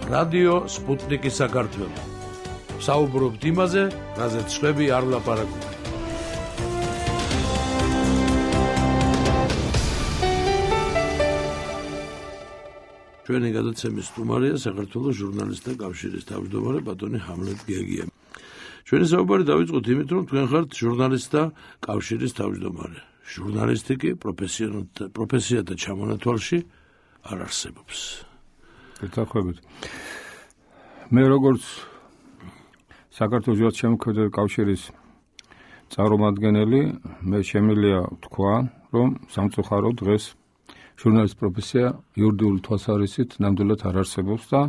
რადიო სპუტნიკი საქართველო. საუბრობთ იმაზე, რაზეც შვები არ ლაპარაკობენ. ჩვენი გადაცემის სტუმარია საქართველოს ჟურნალისტთა კავშირის თავმჯდომარე ბატონი ჰამლეტ გეგია. ჩვენი საუბარი დავიწყოთ იმით, რომ თქვენ ხართ ჟურნალისტთა კავშირის თავმჯდომარე. ჟურნალისტიკი პროფესიათა ჩამონათვალში არ არსებობს. გეთახმებით. მე როგორც საქართველოს ჟურნალისტთა შემოქმედებითი კავშირის წარმომადგენელი, მე შემიძლია თქვა, რომ სამწუხაროდ დღეს ჟურნალისტის პროფესია იურიდიული თვალსაზრისით ნამდვილად არ არსებობს და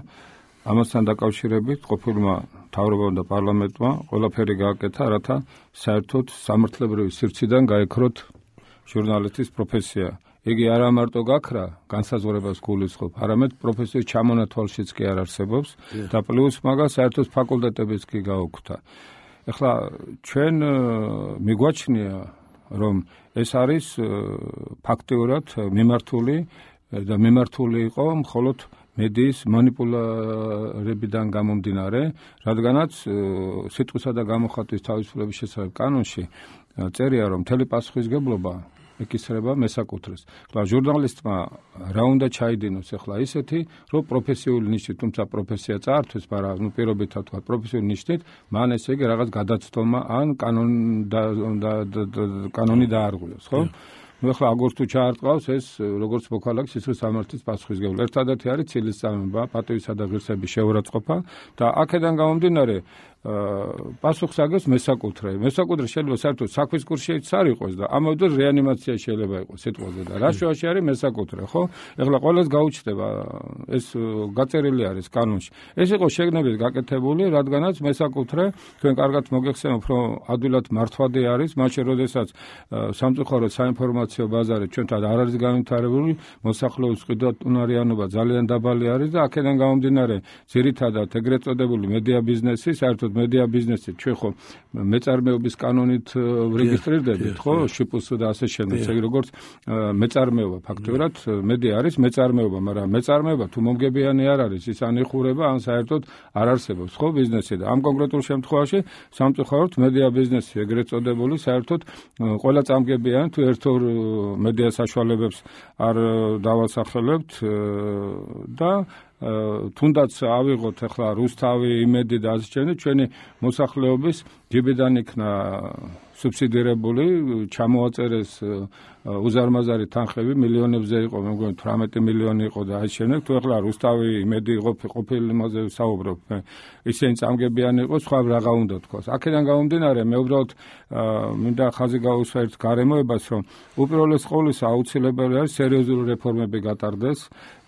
ამასთან დაკავშირებით ყოფილმა მთავრობამ და პარლამენტმა ყველაფერი გააკეთა, რათა საერთოდ სამართლებრივი სივრციდან გაექროთ ჟურნალისტის პროფესია. იგი არა მარტო გაქრა, განსაზღვრებას გულისხმობ, არამედ პროფესიის ჩამონათვალშიც კი არ არსებობს და პლუს მაგას საერთოდ ფაკულტეტებიც კი გაუქმდა. ეხლა ჩვენ მიგვაჩნია, რომ ეს არის ფაქტიურად მიმართული იყო მხოლოდ მედიის მანიპულირებიდან გამომდინარე, რადგანაც სიტყვისა და გამოხატვის თავისუფლების შესახებ კანონში წერია, რომ მთელი პასუხისმგებლობა ეკისრება მესაკუთრეს. ახლა ჟურნალისტმა რა უნდა ჩაიდინოს ახლა ისეთი, რომ პროფესიული ნიშნით, თუმცა პროფესია წაართვეს, მაგრამ პირობითად თქვა პროფესიული ნიშნით, მან ესე იგი რაღაც გადაცდომა ან კანონი დაარღვიოს, ხო? ახლა აგორს თუ ჩაარტყავს ეს როგორც მოქალაქის ისე სამართლის პასუხისმგებლობა. ერთადერთი არის ცილისწამება, პატივისა და ღირსების შეურაცხყოფა და აქედან გამომდინარე პასუხს აგებს მესაკუთრე. მესაკუთრე შეიძლება საერთოდ საქმის კურსშიც არ იყოს და ამავდროულად რეანიმაცია შეიძლება იყოს სიტყვაზე და რა შუაში არის მესაკუთრე, ხო? ეხლა ყველას გაუჩნდება ეს გაწერილი არის კანონში. ეს იყო შეგნებით გაკეთებული, რადგანაც მესაკუთრე თქვენ კარგად მოგეხსენებთ, რომ ადვილად მართვადი არის, მაშინ როდესაც სამწუხაროდ საინფორმაციო ბაზარი ჩვენთან არ არის განვითარებული, მოსახლეობის ყიდვაუნარიანობა ძალიან დაბალი არის და აქედან გამომდინარე ძირითადად ეგრეთ წოდებული მედია ბიზნესი, საერთოდ მედია ბიზნესი ჩვენ ხო მეწარმეობის კანონით რეგისტრირდებით, ხო? შპს და ასე შემდეგ. ესე იგი როგორც მეწარმეობა ფაქტობრივად მედია არის მეწარმეობა, მაგრამ მეწარმეობა თუ მომგებიანი არ არის, ის ან იხურება, ან საერთოდ არ არსებობს, ხო, ბიზნესი და ამ კონკრეტულ შემთხვევაში სამწუხაროდ მედია ბიზნესი ეგრეთ წოდებული საერთოდ ყველა წამგებიანი თუ ერთ-ორ მედია საშუალებებს არ დავასახელებთ და თუნდაც ავიღოთ ახლა რუსთავი, იმედი და ასე შემდეგ, ჩვენი მოსახლეობის ჯიბიდან იქნა სუბსიდირებული, ჩამოაწერეს უზარმაზარი თანხები, მილიონებზე იყო, მე მგონი 18 მილიონი იყო და ასე შემდეგ. თუ ახლა რუსთავი, იმედი ყოფილი იმაზე საუბრობ, ისინი წამგებიანი იყო, სხვა რაღა უნდა თქვას. აქედან გამომდინარე, მე უბრალოდ მინდა ხაზი გავუსვა ერთ გარემოებას, რომ უპირველეს ყოვლისა აუცილებელი არის სერიოზული რეფორმები გატარდეს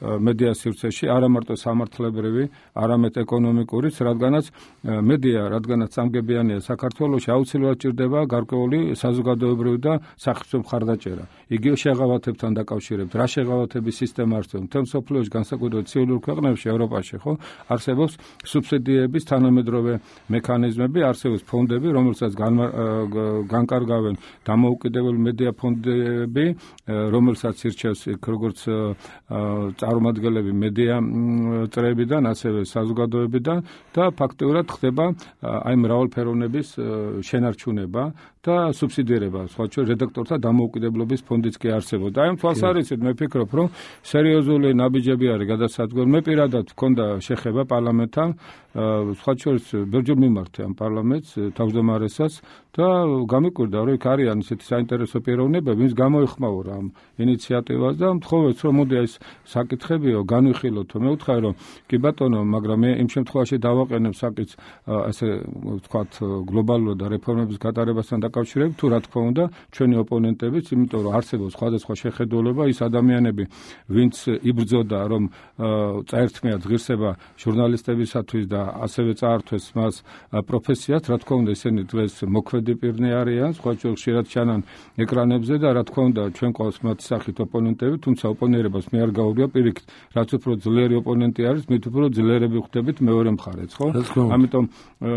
მედია სივრცეში, არა მარტო სამართლებრივი, არამედ ეკონომიკურიც, რადგანაც მედია, რადგანაც წამგებიანია საქართველოში, აუცილებლად ჭირდება გარკვეული საზოგადოებრივი და სახელმწიფო მხარდაჭერა. იგივე შეღავათებთან დაკავშირებით, რა შეღავათების სისტემა არსებობს მთელ მსოფლიოში, განსაკუთრებით ცივილურ ქვეყნებში, ევროპაში, ხო? არსებობს სუბსიდიების თანამედროვე მექანიზმები, არსებობს ფონდები, რომელსაც განკარგავენ დამოუკიდებელი მედია ფონდები, რომელსაც ირჩევს როგორც წარმომადგენლები მედია წრეებიდან, ასევე საზოგადოებიდან და ფაქტიურად ხდება აი მრავალფეროვნების შენარჩუნება და სუბსიდირება, სხვა შორის რედაქტორთა დამოუკიდებლობის ფონდიც კი არსებობს. და აი ამ თვალსაზრისით მე ვფიქრობ, რომ სერიოზული ნაბიჯები არის გადასადგური. მე პირადად მქონდა შეხება პარლამენტთან, სხვა შორის ბევრჯერ მიმართა ამ პარლამენტს, თავმჯდომარესაც და გამიკვირდა, რომ იქ არიან ისეთი საინტერესო პიროვნებები, ვინც გამოეხმაურა ამ ინიციატივას და მთხოვეთ, რომ მოდი ეს საკითხებიო განვიხილოთ. მე ვუთხარი, რომ კი ბატონო, მაგრამ მე იმ შემთხვევაში დავაყენებ საკითხს ასე ვთქვათ გლობალურად და რეფორმების გატარებასთან დაკავშირებით, თუ რა თქმა უნდა, ჩვენი ოპონენტებიც, იმიტომ რომ არსებობს სხვადასხვა შეხედულება, ის ადამიანები, ვინც იბრძოდა, რომ წაერთმიათ ღირსება ჟურნალისტებისათვის და ასევე წაართვეს მას პროფესიას, რა თქმა უნდა, ისინი დღეს მოქმედი პირნი არიან, სხვა შორის ხშირად ჩანან ეკრანებზე და რა თქმა უნდა, ჩვენ ყავს მათი სახით ოპონენტები, თუმცა ოპონირებას მე არ გაუგია პირიქით, რაც უფრო ძლიერი ოპონენტი არის, მით უფრო ძლიერები ხვდებით მეორე მხარეც, ხო? ამიტომ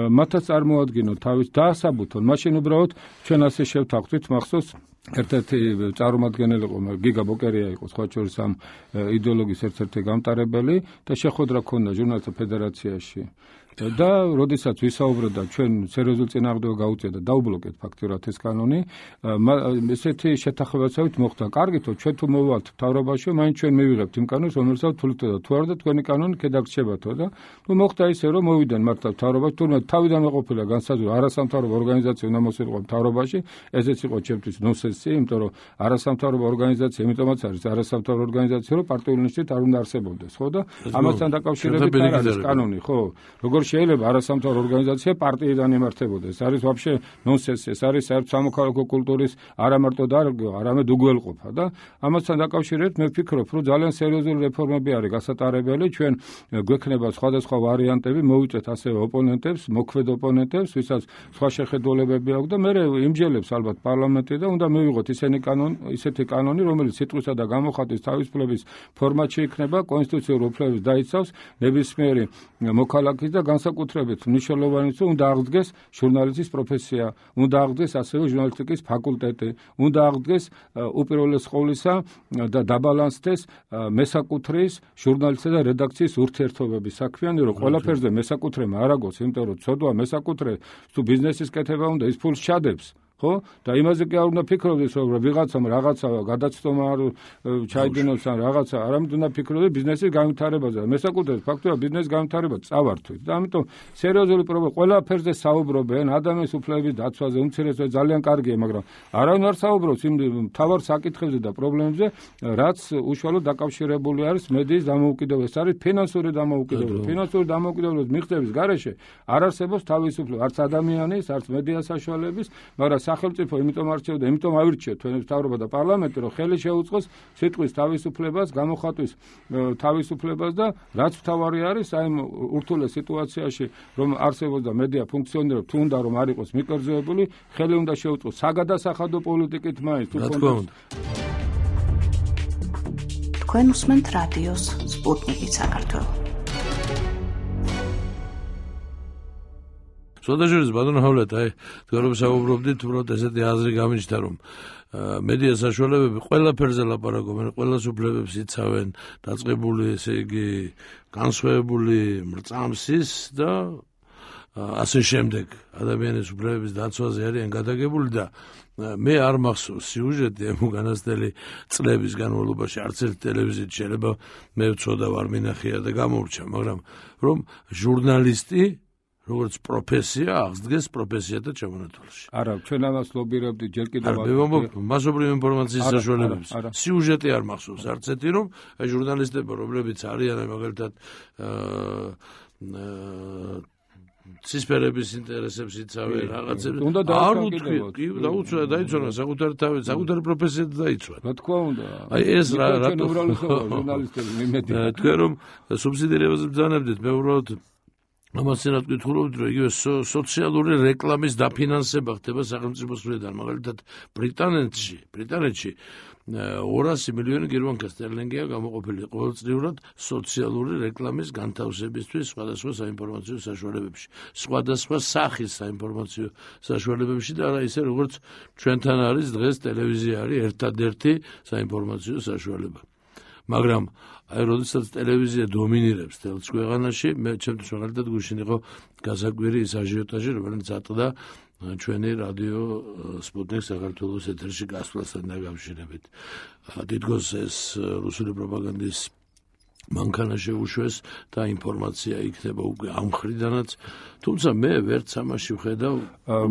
მათაც წარმოადგინოთ თავის დაასაბუთონ, მაშინ უბრალოდ ჩვენ ასე შევთანხმდით, მახსოვს ერთ-ერთი წარმომადგენელი იყო გიგა ბოკერია იყო სხვა შორის ამ იდეოლოგიის ერთ-ერთი გამტარებელი და შეხვედრა ქონდა ჟურნალისტთა ფედერაციაში და როდესაც ვისაუბრებდა ჩვენ სერიოზულ წინააღმდეგობა გაუწია და დაუბლოკეთ ფაქტურად ეს კანონი ესეთი შეთანხმებაცობით მოხდა კარგითო ჩვენ თუ მოვალთ მთავრობაში მაინც ჩვენ მივიღებთ იმ კანონს რომელსაც თulit და თუ არ და თქვენი კანონი ქედაგრჩებათო და ნუ მოხდა ისე რომ მოვიდნენ მართლა მთავრობაში თურმე თავიდან მეყოფილა განსაზღვრა არასამთავრობო ორგანიზაცია უნდა მოსულიყო მთავრობაში ესეც იყო ჩემთვის ნონსენსი იმიტომ რომ არასამთავრობო ორგანიზაცია იმიტომაც არის არასამთავრობო ორგანიზაცია რომ პარტიული ნიშნით არ უნდა არსებობდეს ხო და ამასთან დაკავშირებით არ არის კანონი ხო როგორ შეიძლება არასამთავრობო ორგანიზაცია პარტიიდან იმართებოდეს ეს არის ვაფშე ნონსენსი ეს არის საერთო სამოქალაქო კულტურის არა მარტო დარგვა არამედ უგველყოფა და ამასთან დაკავშირებით მე ვფიქრობ რომ ძალიან სერიოზული რეფორმები არის გასატარებელი ჩვენ გვექნება სხვადასხვა ვარიანტები მოვიწეთ ასევე ოპონენტებს მოქმედ ოპონენტებს ვისაც სხვა შეხედულებები აქვს და მე იმჯელებს ალბათ პარლამენტი და უნდა მივიღოთ ისეთი კანონი რომელიც სიტყვისა და გამოხატვის თავისუფლების ფორმატში იქნება კონსტიტუციურ უფლებებს დაიცავს ნებისმიერი მოქალაქის და განსაკუთრებით მნიშვნელოვანია რომ უნდა აღდგეს ჟურნალისტის პროფესია, უნდა აღდგეს ასევე ჟურნალისტიკის ფაკულტეტი, უნდა აღდგეს უპირველეს ყოვლისა და დაბალანსდეს მესაკუთრის ჟურნალისტთა და რედაქციის ურთიერთობები. საქმიანი რომ ყველაფერზე მესაკუთრემა არ აგოს, იმიტომ რომ ცოდვა მესაკუთრე თუ ბიზნესის კეთება უნდა ის ფულს ჩადებს. ხო და იმაზე კი არ უნდა ფიქრობდეს რომ ვიღაცამ რაღაცა გადაცდომა არ ჩაიდინოს ან რაღაცა არამედ უნდა ფიქრობდეს ბიზნესის განვითარებაზე და მესაკუთრეს ფაქტია ბიზნესის განვითარება წავართვით და ამიტომ სერიოზული პრობლემა ყველაფერზე საუბრობენ ადამიანის უფლებების დაცვაზე უმცირესობა ძალიან კარგია მაგრამ არავინ არ საუბრობს იმ მთავარ საკითხებზე და პრობლემებზე რაც უშუალოდ დაკავშირებული არის მედიის დამოუკიდებლობას ეს არის ფინანსური დამოუკიდებლობის მიღწევის გარეშე არ არსებობს თავისუფლება არც ადამიანის არც მედიას საშუალების მაგრამ სახელმწიფო იმიტომ არჩევდა, იმიტომ ავირჩიეთ თქვენი მთავრობა და პარლამენტი, რომ ხელი შეუწყოს სიტყვის თავისუფლებას, გამოხატვის თავისუფლებას და რაც მთავარი არის, აი ურთულეს სიტუაციაში, რომ არსებობს და მედია ფუნქციონირებს, თუ უნდა რომ არ იყოს მიკერძოებული, ხელი უნდა შეუწყოს საგადასახადო პოლიტიკით მაინც თუ კონტექსტ. თქვენ უსმენთ რადიოს სპუტნიკი საქართველო. სოდაჟურის ბატონო ჰავლეთ აი თქვენ რომ საუბრობდით უბრალოდ ესეთი აზრი გამიჩნდა რომ მედია საშუალებები ყველაფერზე ლაპარაკობენ ყველას უფლებებს იცავენ დაწყებული ესე იგი განსხვავებული მრწამსის და ასე შემდეგ ადამიანის უფლებების დაცვაზე არიან გადაგებული და მე არ მახსოვს სიუჟეტი ამ უკანასკნელი წლების განმავლობაში არც ერთ ტელევიზიით შეიძლება მე ვცოდა ვარ მინახია და გამორჩა მაგრამ რომ ჟურნალისტი როგორც პროფესია აღდგეს პროფესიათა ჩამონათვალში. არა, ჩვენ ამას ლობირებდით ჯერ კიდევ. მასობრივი ინფორმაციის საშუალებებს. სიუჟეტი არ მახსოვს არც ერთი რომ აი ჟურნალისტები რომლებიც არიან მაგალითად ცისფერების ინტერესებს იცავენ რაღაცებს არ უთქვია კი დაუცვა დაიცვალა საკუთარი თავი საკუთარი პროფესია დაიცვალა რა თქვა უნდა აი ეს რატო ჟურნალისტები მიმედია თქვენ რომ სუბსიდირებაზე ბრძანებდით მე უბრალოდ ამასენად გითხულობთ რომ იგივე სოციალური რეკლამის დაფინანსება ხდება სახელმწიფოს მხრიდან მაგალითად ბრიტანეთში 200 მილიონი გერმანკა სტერლინგია გამოყოფილი ყოველწლიურად სოციალური რეკლამის განთავსებისთვის სხვადასხვა საინფორმაციო საშუალებებში სხვადასხვა სახის საინფორმაციო საშუალებებში და არა ისე როგორც ჩვენთან არის დღეს ტელევიზია არის ერთადერთი საინფორმაციო საშუალება მაგრამ აი როდესაც ტელევიზია დომინირებს თელს ქვეყანაში მე ჩემთვის მაგალითად გუშინ იყო გასაკვირი ის აჟიოტაჟი რომელიც ატყდა ჩვენი რადიო სპუტნიკ საქართველოს ეთერში გასვლასთან დაკავშირებით თითქოს ეს რუსული პროპაგანდის მანქანა შეუშვეს და ინფორმაცია იქნება უკვე ამ მხრიდანაც თუმცა მე ვერც ამაში ვხედავ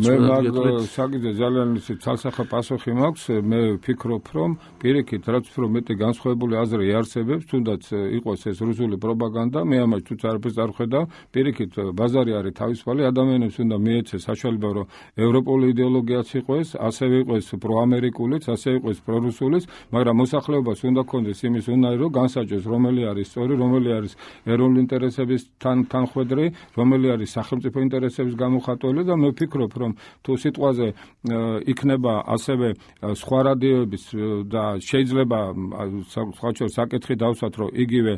მე მაგ საკითხზე ძალიან ისე ცალსახა პასუხი მაქვს მე ვფიქრობ რომ პირიქით რაც უფრო მეტი განსხვავებული აზრი არსებობს თუნდაც იყოს ეს რუსული პროპაგანდა მე ამაში თუც არაფერს არ ვხედავ პირიქით ბაზარი არის თავისუფალი ადამიანებს უნდა მიეცეს საშუალება რომ ევროპული იდეოლოგიაც იყოს ასევე იყოს პროამერიკულიც ასევე იყოს პრორუსულიც მაგრამ მოსახლეობას უნდა ქონდეს იმის უნარი რომ განსაჯოს რომელი არის არის სწორი, რომელი არის ეროვნული ინტერესების თანხვედრი, რომელი არის სახელმწიფო ინტერესების გამოხატველი და მე ვფიქრობ, რომ თუ სიტყვაზე იქნება ასევე სხვა რადიოების და შეიძლება სხვა შორის საკითხი დავსვათ, რომ იგივე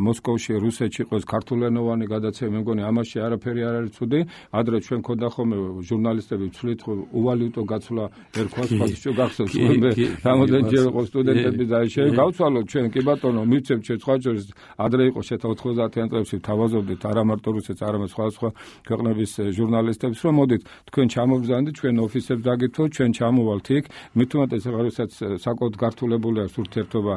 მოსკოვში, რუსეთში იყოს ქართულენოვანი გადაცემა, მე მგონი ამაში არაფერი არ არის ცუდი. ადრე ჩვენ ქონდა ხოლმე ჟურნალისტები ვცვლით უვალუტო გაცვლა ერქვას გახსოვს მე რამოდენჯერ იყო სტუდენტები და გავცვალოთ ჩვენ კი ბატონო მივცემ ჩვენ სხვა შორის ადრე იყო 90-იან წლებში თავაზობდით არა მარტო რუსეთს არამედ სხვა ქვეყნების ჟურნალისტებს რომ მოდით თქვენ ჩამობრძანდით ჩვენ ოფისებს დაგითხოვთ ჩვენ ჩამოვალთ იქ მით უმეტეს როცა საკუთარ გართულებულია ურთიერთობა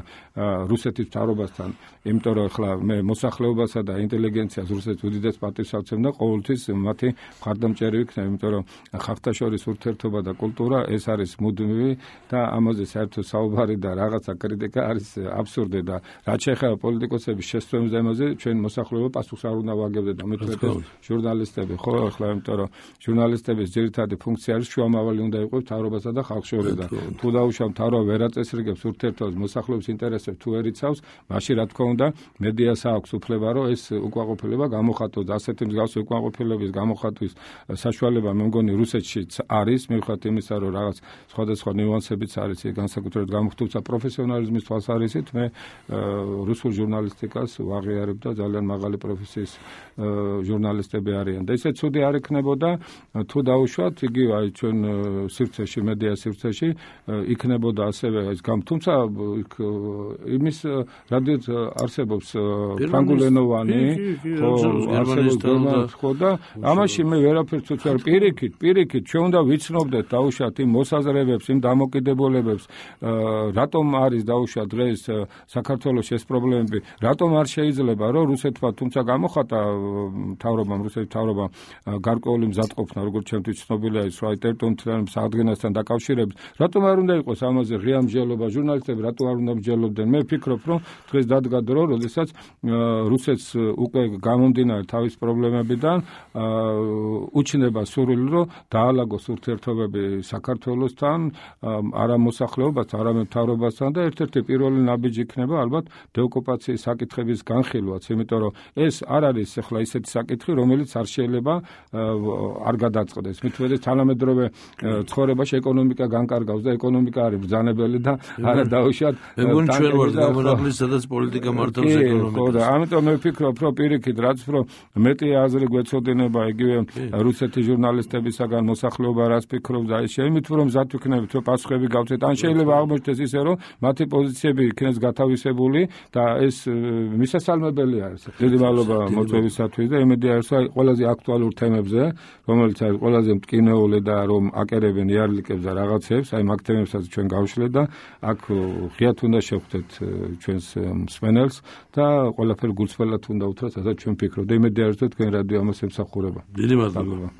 რუსეთის მთავრობასთან იმიტომ რომ ახლა მე მოსახლეობასა და ინტელიგენციას რუსეთის უდიდეს პატივს ავცემ და ყოველთვის მათი მხარდამჭერი ვიქნები იმიტომ რომ ხალხთა ურთიერთობა და კულტურა ეს არის მუდმივი და ამაზე საერთოდ საუბარი და რაღაცა კრიტიკა არის აბსურდი და რაც შეეხება პოლიტიკოსების შესწრების ამაზე ჩვენ მოსახლეობა პასუხს არ უნდა ვაგებდეთ და მეტყვით ჟურნალისტები ხო ახლა იმიტომ რომ ჟურნალისტების ძირითადი ფუნქცია არის შუამავალი უნდა იყოს მთავრობასა და ხალხს შორის და თუ დაუშვათ მთავრობა ვერ აწესრიგებს ურთიერთობას მოსახლეობის ინტერესებს თუ ვერ იცავს მაშინ რა თქმა უნდა მედიას აქვს უფლება რომ ეს უკმაყოფილება გამოხატოს და ასეთი მსგავსი უკმაყოფილების გამოხატვის საშუალება მე მგონი რუსეთშიც არის მიუხედავად იმისა რომ რაღაც სხვადასხვა ნიუანსებიც არის განსაკუთრებით გამოხატულთა პროფესიონალიზმის თვალსაზრისით მე რუსულ ჟურნალისტიკას ვაღიარებ და ძალიან მაღალი პროფესიის ჟურნალისტები არიან და ისე ცუდი არ იქნებოდა თუ დაუშვათ იგივე აი ჩვენ სივრცეში მედია სივრცეში იქნებოდა ასევე ეს თუმცა იმის რადიო არსებობს ფრანგულენოვანი ხო და ამაში მე ვერაფერს უცებ პირიქით ჩვენ უნდა ვიცნობდეთ დაუშვათ იმ მოსაზრებებს იმ დამოკიდებულებებს რატომ არის დაუშვათ დღეს საქართველოს ეს პრობლემები რატომ არ შეიძლება რომ რუსეთმა თუმცა გამოხატა მთავრობამ რუსეთის მთავრობამ გარკვეული მზადყოფნა როგორც ჩემთვის ცნობილია ის რა ტერიტორიულ აღდგენასთან დაკავშირებით რატომ არ უნდა იყოს ამაზე ღია მსჯელობა ჟურნალისტები რატომ არ უნდა მსჯელობდნენ მე ვფიქრობ რომ დღეს დადგა დრო როდესაც რუსეთს უკვე გამომდინარე თავის პრობლემებიდან უჩნდება სურვილი რომ დაალაგოს ურთიერთობები საქართველოსთან არა მოსახლეობასთან არამედ მთავრობასთან და ერთ-ერთი პირველი ნაბიჯი იქნება ალბათ დეოკუპაციის საკითხების განხილვაც იმიტომ რომ ეს არ არის ახლა ისეთი საკითხი რომელიც არ შეიძლება არ გადაწყდეს მით უმეტეს თანამედროვე ცხოვრებაში ეკონომიკა განკარგავს და ეკონომიკა არის ბრძანებელი და არა დაუშვათ მე მგონი ჩვენ ვართ გამონაკლისი სადაც პოლიტიკა მართავს ეკონომიკას ხო და ამიტომ მე ვფიქრობ რომ პირიქით რაც უფრო მეტი აზრი გვეცოდინება იგივე რუსეთის ჟურნალისტებისაგან მოსახლეობა რას ფიქრობს და ეს შემით რომ მზად ვიქნებით რომ პასუხები გავცეთ ან შეიძლება აღმოჩნდეს ისე რომ მათი პოზიციები იქნეს გათავისებული და ეს მისასალმებელი არის დიდი მადლობა მოწვევისათვის და იმედი არის რომ ყველაზე აქტუალურ თემებზე რომელიც არის ყველაზე მტკინეული და რომ აკერებენ იარლიკებს და რაღაცებს აი მაგ თემებსაც ჩვენ გავშლეთ და აქ ღიად უნდა შევხვდეთ ჩვენს მსმენელს და ყველაფერი გულწრფელად უნდა უთხრათ რასაც ჩვენ ფიქრობთ და იმედი არის რომ თქვენ რადიო ამას ემსახურება დიდი მადლობა